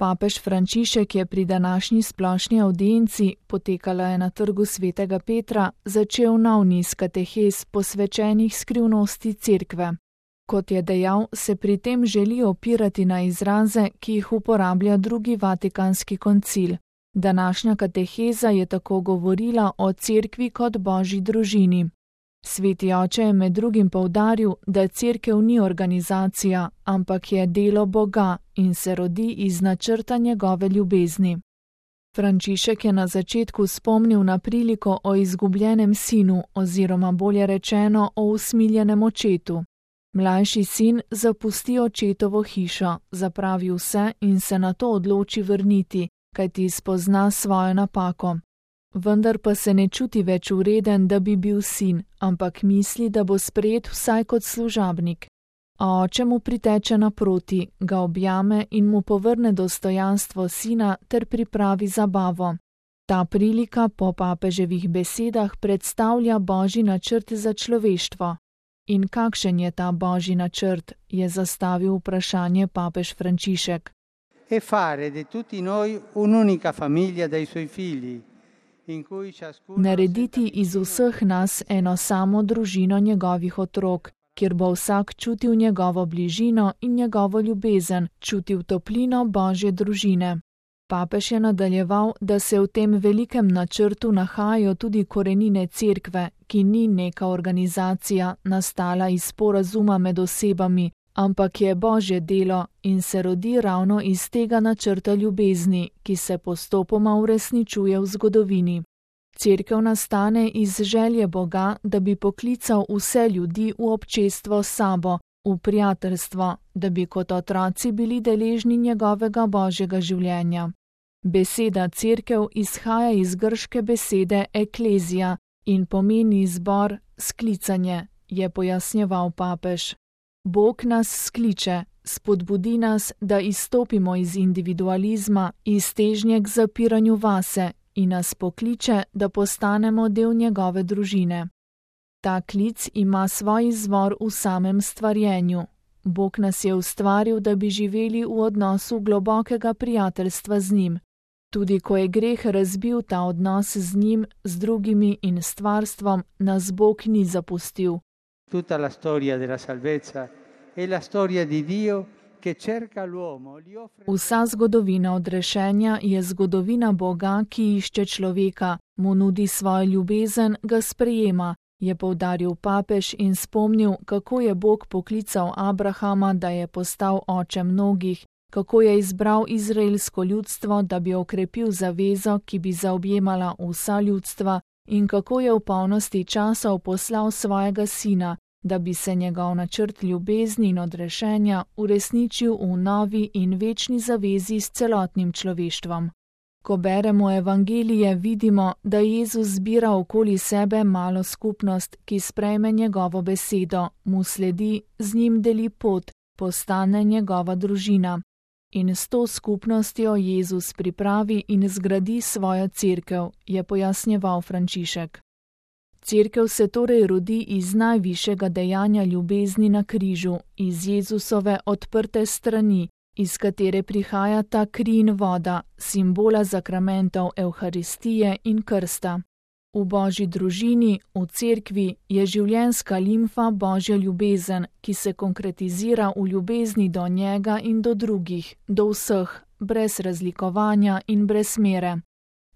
Papež Frančišek je pri današnji splošni avdienci, potekala je na Trgu svetega Petra, začel nov niz katehez posvečenih skrivnosti Cerkve. Kot je dejal, se pri tem želi opirati na izraze, ki jih uporablja drugi Vatikanski koncil. Današnja kateheza je tako govorila o Cerkvi kot božji družini. Sveti oče je med drugim poudaril, da Cerkev ni organizacija, ampak je delo Boga in se rodi iz načrta njegove ljubezni. Frančišek je na začetku spomnil na priliko o izgubljenem sinu oziroma bolje rečeno o usmiljenem očetu. Mlajši sin zapusti očetovo hišo, zapravi vse in se nato odloči vrniti, kajti spozna svojo napako. Vendar pa se ne čuti več vreden, da bi bil sin, ampak misli, da bo sprejet vsaj kot služabnik. A oče mu priteče naproti, ga objame in mu povrne dostojanstvo sina ter pripravi zabavo. Ta prilika po papeževih besedah predstavlja božji načrt za človeštvo. In kakšen je ta božji načrt, je zastavil vprašanje papež Frančišek. E fare di tutti noi un'unica famiglia dai suoi figli. Narediti iz vseh nas eno samo družino njegovih otrok, kjer bo vsak čutil njegovo bližino in njegovo ljubezen, čutil toplino božje družine. Papež je nadaljeval, da se v tem velikem načrtu nahajajo tudi korenine Cerkve, ki ni neka organizacija, nastala iz sporazuma med osebami, ampak je božje delo in se rodi ravno iz tega načrta ljubezni, ki se postopoma uresničuje v zgodovini. Cerkev nastane iz želje Boga, da bi poklical vse ljudi v občestvo s sabo, v prijateljstvo, da bi kot otroci bili deležni njegovega božjega življenja. Beseda cerkev izhaja iz grške besede eklezija in pomeni zbor, sklicanje, je pojasnjeval papež. Bog nas skliče, spodbudi nas, da izstopimo iz individualizma, iz težnje k zapiranju vase in nas pokliče, da postanemo del njegove družine. Ta klic ima svoj izvor v samem stvarjenju. Bog nas je ustvaril, da bi živeli v odnosu globokega prijateljstva z njim. Tudi ko je greh razbil ta odnos z njim, z drugimi in stvarstvom, nas Bog ni zapustil. Tutta la storia della salvezza è la storia di Dio che cerca l'uomo, gli offre. Vsa zgodovina odrešenja je zgodovina Boga, ki išče človeka, mu nudi svojo ljubezen, ga sprejema, je poudaril papež in spomnil, kako je Bog poklical Abrahama, da je postal oče mnogih, kako je izbral izraelsko ljudstvo, da bi okrepil zavezo, ki bi zaobjemala vsa ljudstva, in kako je v polnosti časov poslal svojega sina, da bi se njegov načrt ljubezni in odrešenja uresničil v novi in večni zavezi s celotnim človeštvom. Ko beremo evangelije, vidimo, da Jezus zbira okoli sebe malo skupnost, ki sprejme njegovo besedo, mu sledi, z njim deli pot, postane njegova družina. In s to skupnostjo Jezus pripravi in zgradi svojo cerkev, je pojasnjeval Frančišek. Cerkev se torej rodi iz najvišjega dejanja ljubezni na križu, iz Jezusove odprte strani, iz katere prihaja ta kri in voda, simbola zakramentov Evharistije in krsta. V božji družini, v cerkvi, je življenjska limfa božja ljubezen, ki se konkretizira v ljubezni do njega in do drugih, do vseh, brez razlikovanja in brez mere.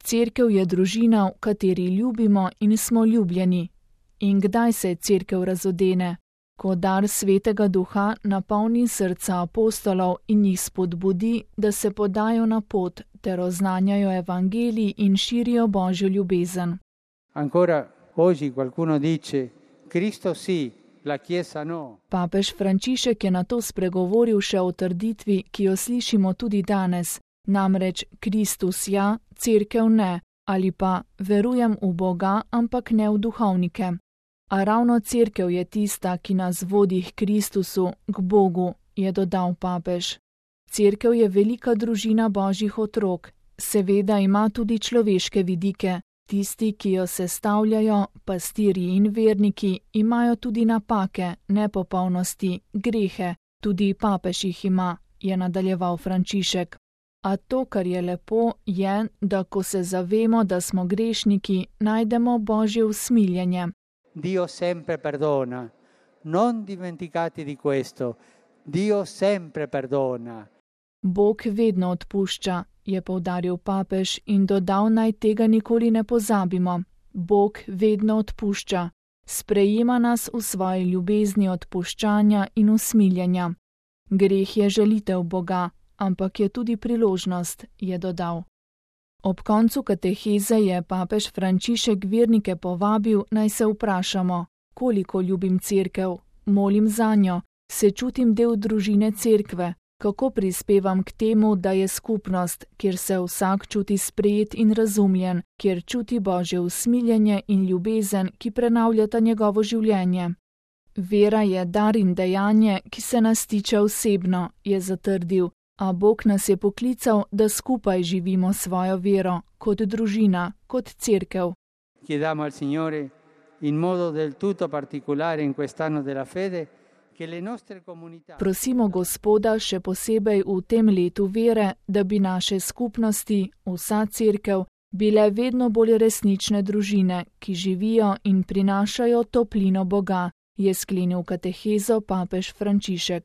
Cerkev je družina, v kateri ljubimo in smo ljubljeni. In kdaj se cerkev razodene? Ko dar svetega duha napolni srca apostolov in jih spodbudi, da se podajo na pot ter oznanjajo evangelij in širijo božjo ljubezen. Ancora oggi qualcuno dice Cristo sì, la Chiesa no. Papež Frančišek je nato spregovoril še o trditvi, ki jo slišimo tudi danes, namreč Kristus ja, cerkev ne, ali pa verujem v Boga, ampak ne v duhovnike. A ravno cerkev je tista, ki nas vodi k Kristusu, k Bogu, je dodal papež. Cerkev je velika družina božjih otrok, seveda ima tudi človeške vidike. Tisti, ki jo sestavljajo, pastirji in verniki, imajo tudi napake, nepopolnosti, grehe, tudi papež jih ima, je nadaljeval Frančišek. A to, kar je lepo, je, da ko se zavemo, da smo grešniki, najdemo Božje usmiljenje. Dio sempre perdona, non dimenticate di questo, Dio sempre perdona. Bog vedno odpušča, je poudaril papež in dodal, naj tega nikoli ne pozabimo. Bog vedno odpušča, sprejema nas v svoji ljubezni odpuščanja in usmiljenja. Greh je žalitev Boga, ampak je tudi priložnost, je dodal. Ob koncu kateheze je papež Frančišek vernike povabil, naj se vprašamo, koliko ljubim cerkev, molim zanjo, se čutim del družine cerkve, kako prispevam k temu, da je skupnost, kjer se vsak čuti sprejet in razumljen, kjer čuti Božje usmiljenje in ljubezen, ki prenavljata njegovo življenje. Vera je dar in dejanje, ki se nas tiče osebno, je zatrdil, a Bog nas je poklical, da skupaj živimo svojo vero, kot družina, kot cerkev. Chiediamo al Signore, in modo del tutto particolare in quest'anno della fede, che le nostre comunità... Prosimo Gospoda še posebej v tem letu vere, da bi naše skupnosti, vsa cerkev, bile vedno bolj resnične družine, ki živijo in prinašajo toplino Boga, je sklenil katehezo papež Frančišek.